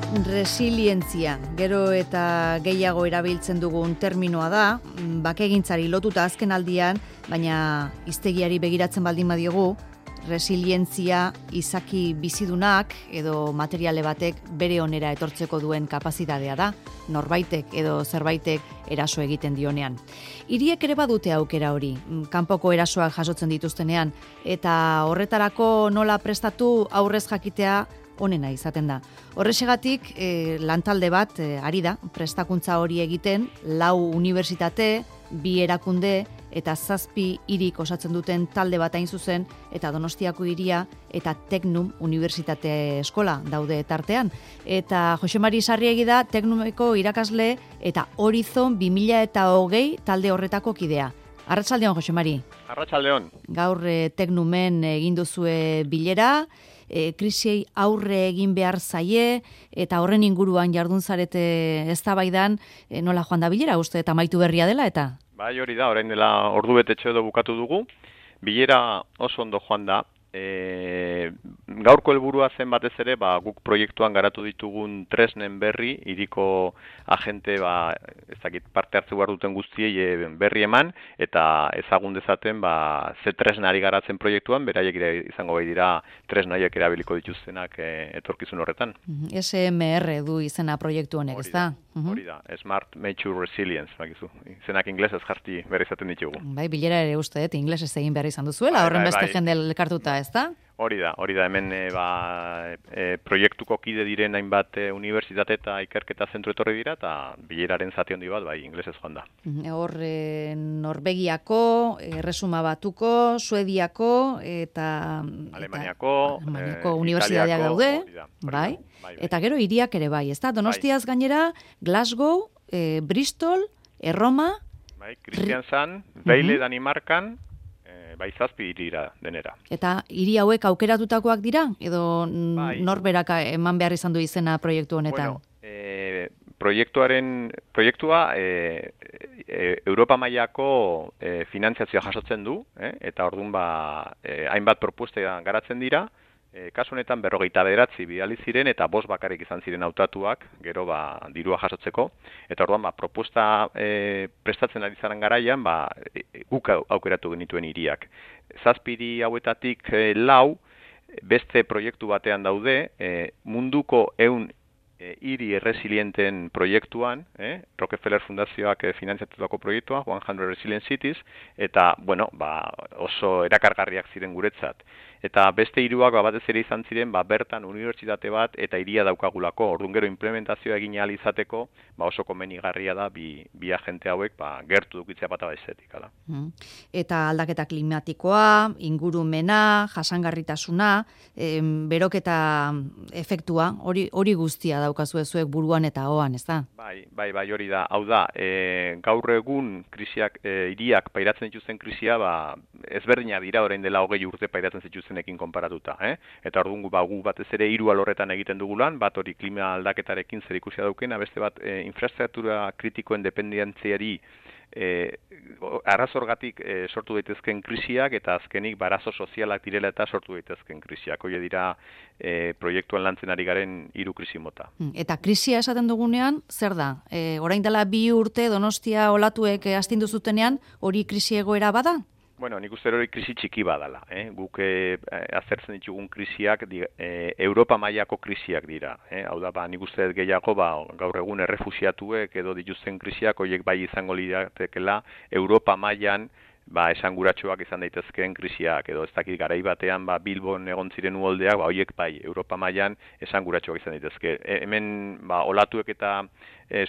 Resilientzia, gero eta gehiago erabiltzen dugun terminoa da, bakegintzari lotuta azken aldian, baina hiztegiari begiratzen baldin badiogu, resilientzia izaki bizidunak edo materiale batek bere onera etortzeko duen kapazitatea da, norbaitek edo zerbaitek eraso egiten dionean. Hiriek ere badute aukera hori, kanpoko erasoak jasotzen dituztenean, eta horretarako nola prestatu aurrez jakitea onena izaten da. Horrexegatik, lantalde bat ari da, prestakuntza hori egiten, 4 unibertsitate, 2 erakunde eta 7 hirik osatzen duten talde bat hain zuzen, eta Donostiako hiria eta Teknum Unibertsitate Eskola daude tartean. Eta Jose Mari Sarriegi da Teknumeko irakasle eta Horizon 2020 talde horretako kidea. Arratsaldeon, Jose Mari. Arratsaldeon. Gaur Teknumen egin duzue bilera, krisiei aurre egin behar zaie, eta horren inguruan jardun zarete eztabaidan, nola joan da bilera, uste eta amaitu berria dela, eta? Bai, hori da, orain dela ordu betetxo edo bukatu dugu. Bilera oso ondo joan da. Gaurko helburua zen batez ere, guk proiektuan garatu ditugun tresnen berri, hiriko agente, ez dakit parte hartze behar duten guztiei berri eman, eta ezagun dezaten, ze tresnari garatzen proiektuan, beraiek izango bai dira tresnaiek erabiliko dituztenak etorkizun horretan. SMR du izena proiektu honek, ez da? Hori da, Smart Mature Resilience, bakizu. Izenak inglesez jarti berri izaten ditugu. Bai, bilera ere uste, inglesez egin behar izan duzuela, horren beste jende elkartuta, ez da? Hori da, hemen proiektuko kide diren hainbat unibertsitate eta ikerketa zentru etorri dira, eta bileraren zati handi bat, inglesez joan da. Hor, Norvegiako, Erresuma Batuko, Suediako, eta Alemaniako unibertsitateak daude, bai? Eta gero hiriak ere bai, ez da? Donostiaz gainera, Glasgow, Bristol, Erroma, Kristiansand, Beile Danimarkan, 7 hirira denera. Eta hiri hauek aukeratutakoak dira? Edo norberak eman behar izan du izena proiektu honetan? Proiektua Europa mailako finantziazioa jasotzen du, eta orduan hainbat propuesta garatzen dira. Kasu honetan 49 bidali ziren eta 5 bakarrik izan ziren hautatuak, gero dirua jasotzeko, eta orduan propuesta prestatzen ari zaren garaian, guk aukeratu genituen hiriak. 7 hiri hauetatik 4 beste proiektu batean daude, munduko 100 hiri erresilienten proiektuan, Rockefeller Fundazioak finantziatutako proiektua, 100 Resilient Cities, eta, oso erakargarriak ziren guretzat. Eta beste hiruak batez ere izan ziren, bertan unibertsitate bat eta hiria daukagulako. Orduan gero implementazioa egin ahal izateko, oso komenigarria da bi agente hauek gertu dukitzea bata baizetik. Eta aldaketa klimatikoa, ingurumena, jasangarritasuna, beroketa efektua, hori guztia daukazue zuek buruan eta hoan, ez da? Bai, hori da. Hau da, gaur egun krisiak, hiriak pairatzen dituzten krisia, ezberdina dira orain dela 20 urte pairatzen zituztenekin konparatuta. Eta orduan gu batez ere 3 alorretan egiten dugu lan, bat hori klima aldaketarekin zer ikusia daukena, beste bat infrastruktura kritikoen dependentziari arrazorgatik sortu daitezken krisiak, eta azkenik arazo sozialak direla eta sortu daitezken krisiak. Hoi dira proiektuan lantzen ari garen 3 krisi mota. Eta krisia esaten dugunean, zer da? Orain dela 2 urte Donostia olatuek astindu zutenean, hori krisi egoera bada? Nik uste hori krisi txiki badala. Guk aztertzen ditugun krisiak Europa mailako krisiak dira. Hau da, nik uste gehiago gaur egun errefuxiatuek edo dituzten krisiak, horiek bai izango liratekela Europa mailan esanguratsuak izan daitezkeen krisiak, edo ez dakit garai batean Bilbon egon ziren uholdeak, horiek bai Europa mailan esanguratsuak izan daitezke. Hemen olatuek eta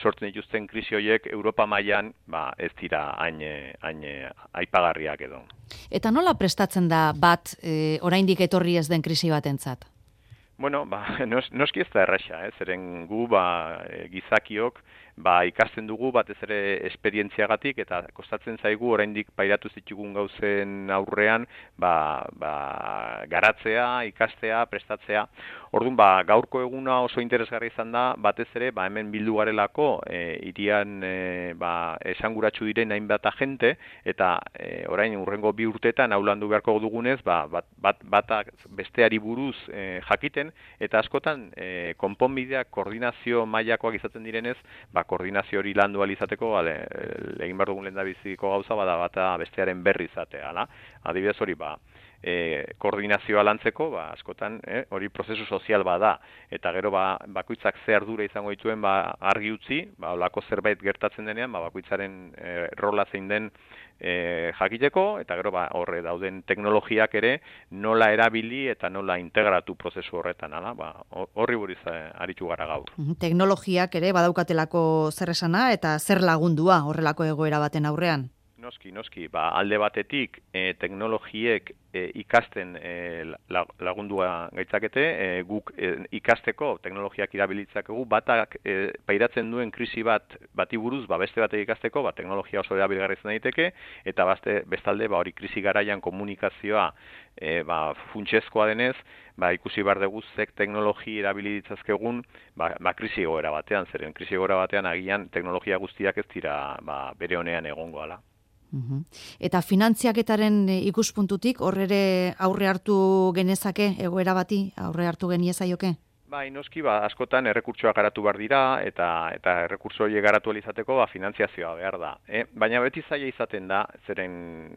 sortzen dituzten krisi horiek Europa mailan ez dira hain aipagarriak edo. Eta nola prestatzen da bat oraindik etorri ez den krisi batentzat? Noski ez da erraxa, zeren gu gizakiok ikasten dugu batez ere esperientziagatik eta kostatzen zaigu oraindik pairatu zitugun gauzen aurrean garatzea, ikastea, prestatzea. Orduan, gaurko eguna oso interesgarri izan da, batez ere, hemen bildu garelako, hirian esanguratsu diren hainbat agente, eta orain urrengo 2 urteetan aulandu beharko dugunez, batak besteari buruz jakiten, eta askotan konponbideak koordinazio mailakoak izaten direnez, koordinazio hori landu ahal izateko, egin behar dugun lehendabiziko gauza, bata bestearen berri izatea. Adibidez hori, koordinazioa lantzeko, askotan hori prozesu sozial bada, eta gero bakoitzak ze ardura izango dituen argi utzi, olako zerbait gertatzen denean, bakoitzaren rola zein den jakiteko, eta gero horre dauden teknologiak ere nola erabili eta nola integratu prozesu horretan, horri buruz aritu gara gaur. Teknologiak ere badaukatelako zer esana eta zer lagundua horrelako egoera baten aurrean? Noski, alde batetik teknologiek ikasten lagundua gaitzakete, guk ikasteko teknologiak irabilitzakegu, batak pairatzen duen krisi bati buruz, beste batek ikasteko, teknologia oso erabilgarri izan daiteke, eta bestalde hori krisi garaian komunikazioa funtsezkoa denez, ikusi behar dugu zek teknologi erabilitzazkegun krisi egoera batean, zeren krisi egoera batean agian teknologia guztiak ez dira bere honean egongo ala. Eta finantziaketaren ikuspuntutik horre aurre hartu genezake egoera bati, aurre hartu geniezaioke? Noski, askotan errekurtsoak garatu behar dira, eta errekurtso horiek garatu izateko finantziazioa behar da. Baina beti zaila izaten da, zeren,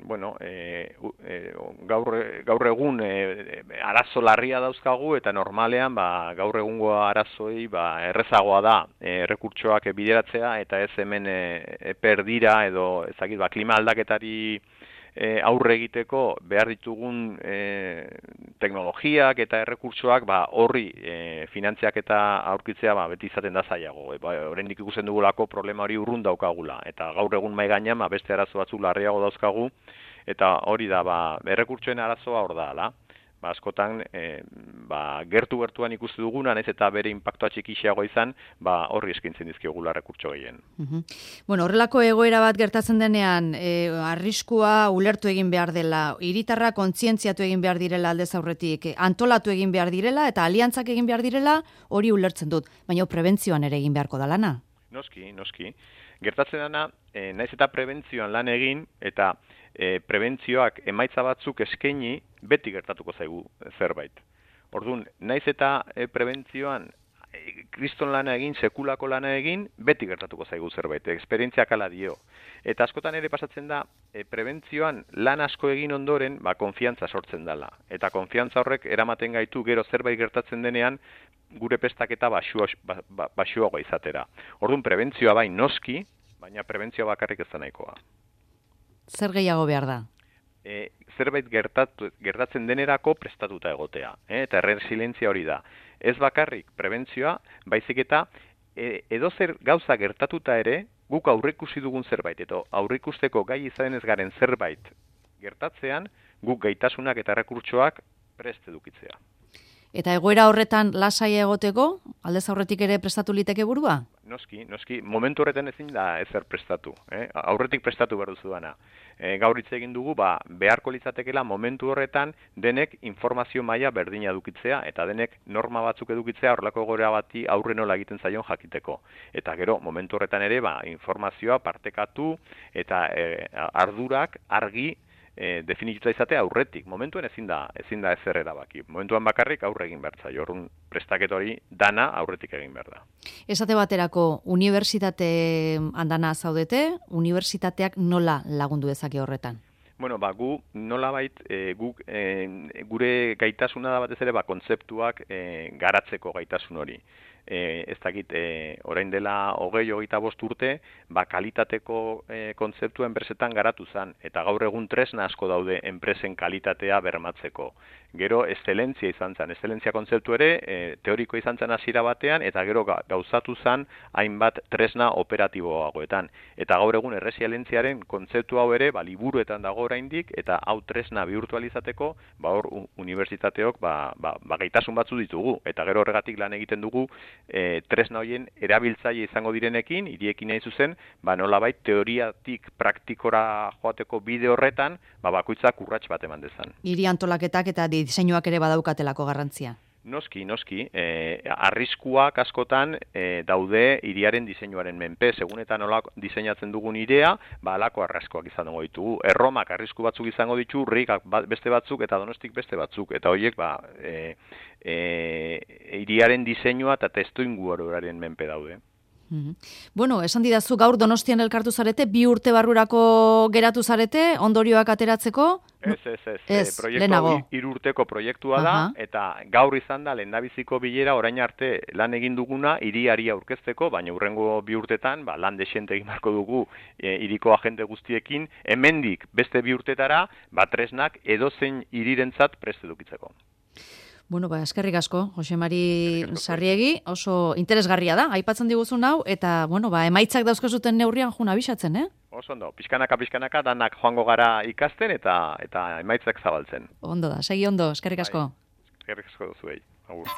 gaur egun arazo larria dauzkagu, eta normalean gaur egungo arazoi errezagoa da errekurtsoak bideratzea, eta ez hemen perdira edo ezakit klima aldaketari aurre egiteko behar ditugun teknologiak eta errekurtsoak horri finantziak eta aurkitzea beti izaten da zailago. Oraindik ikusten dugulako problema hori urrun daukagula, eta gaur egun mahai gainean beste arazo batzuk larriago dauzkagu, eta hori da errekurtsoen arazoa hor da. Askotan gertu-gertuan ikusi duguna, nahiz eta bere inpaktua txikiago izan, horri eskaintzen dizkiogula errekurtso gehien. Horrelako egoera bat gertatzen denean, arriskua ulertu egin behar dela, hiritarra kontzientziatu egin behar direla aldez aurretik, antolatu egin behar direla eta aliantzak egin behar direla, hori ulertzen dut, baina prebentzioan ere egin beharko da lana. Noski. Gertatzen dena, nahiz eta prebentzioan lan egin, eta prebentzioak emaitza batzuk eskaini, beti gertatuko zaigu zerbait. Orduan, naiz eta prebentzioan kriston lana egin, sekulako lana egin, beti gertatuko zaigu zerbait, esperientziak ala dio. Eta askotan ere pasatzen da, prebentzioan lan asko egin ondoren, konfiantza sortzen dela. Eta konfiantza horrek eramaten gaitu gero zerbait gertatzen denean, gure pestaketa baxuago izatera. Orduan, prebentzioa noski, baina prebentzioa bakarrik ez da nahikoa. Zer gehiago behar da? Zerbait gertatzen denerako prestatuta egotea, eta erresilientzia hori da. Ez bakarrik prebentzioa, baizik eta edozer gauza gertatuta ere, guk aurreikusi dugun zerbait, eta aurreikusteko gai izan ez garen zerbait gertatzean, guk gaitasunak eta errekurtsoak prest edukitzea. Eta egoera horretan lasai egoteko, aldez aurretik ere prestatu liteke burua? Noski, momentu horretan ezin da ezer prestatu. Aurretik prestatu behar duzu dana. Gaur hitz egin dugu, beharko litzatekela momentu horretan denek informazio maila berdina edukitzea, eta denek norma batzuk edukitzea horrelako egoera bati aurre nola egiten zaion jakiteko. Eta gero, momentu horretan ere, informazioa partekatu eta ardurak argi definituta izatea aurretik. Momentuen ezin da ezer erabaki. Momentuan bakarrik aurre egin behar zaio. Orduan prestaket hori dana aurretik egin behar da. Esate baterako, unibertsitate handana zaudete, unibertsitateak nola lagundu dezake horretan? Gu nolabait gure gaitasuna da batez ere kontzeptuak garatzeko gaitasun hori. Ez dakit, orain dela 20-25 urte, kalitateko kontzeptua enpresetan garatu zen, eta gaur egun tresna asko daude enpresen kalitatea bermatzeko. Gero, eszelentzia izan zen, eszelentzia kontzeptu ere, teoriko izan zen hasiera batean, eta gero gauzatu zen hainbat tresna operatiboagoetan. Eta gaur egun erresialentziaren kontzeptu hau ere, liburuetan dago oraindik, eta hau tresna bihurtualizateko, hor unibertsitateok gaitasun batzu ditugu, eta gero horregatik lan egiten dugu, tresna horien erabiltzaile izango direnekin, hiriekin nahi zuzen, nolabait teoriatik praktikora joateko bide horretan, bakoitzak urrats bat eman dezan. Hiri antolaketak eta diseinuak ere badaukatelako garrantzia. Noski, arriskuak askotan daude hiriaren diseinuaren menpe, segun eta nola diseinatzen dugun hirea, halako arraskoak izango ditugu. Erromak arrisku batzuk izango ditu, Rigak beste batzuk eta Donostik beste batzuk, eta horiek hiriaren diseinua eta testuinguruaren menpe daude. Bueno, esan didazu gaur Donostian elkartu zarete, 2 urte barrurako geratu zarete, ondorioak ateratzeko? Ez, proiektu 3 urteko proiektua da, eta gaur izan da lehendabiziko bilera orain arte lan egin duguna hiriari aurkezteko, baina hurrengo 2 urtetan lan dexente egin beharko dugu hiriko agente guztiekin, hemendik beste 2 urtetara, tresnak edozein hirirentzat prest edukitzeko. Bueno, eskerrik asko, Jose Mari Sarriegi, oso interesgarria da, aipatzen diguzun hau, eta, emaitzak dauzkozuten neurrian juna abisatzen, Oso ondo, pixkanaka, danak joango gara ikasten eta emaitzak zabaltzen. Ondo da, segi ondo, eskerrik asko. Eskerrik asko duzuei, agur.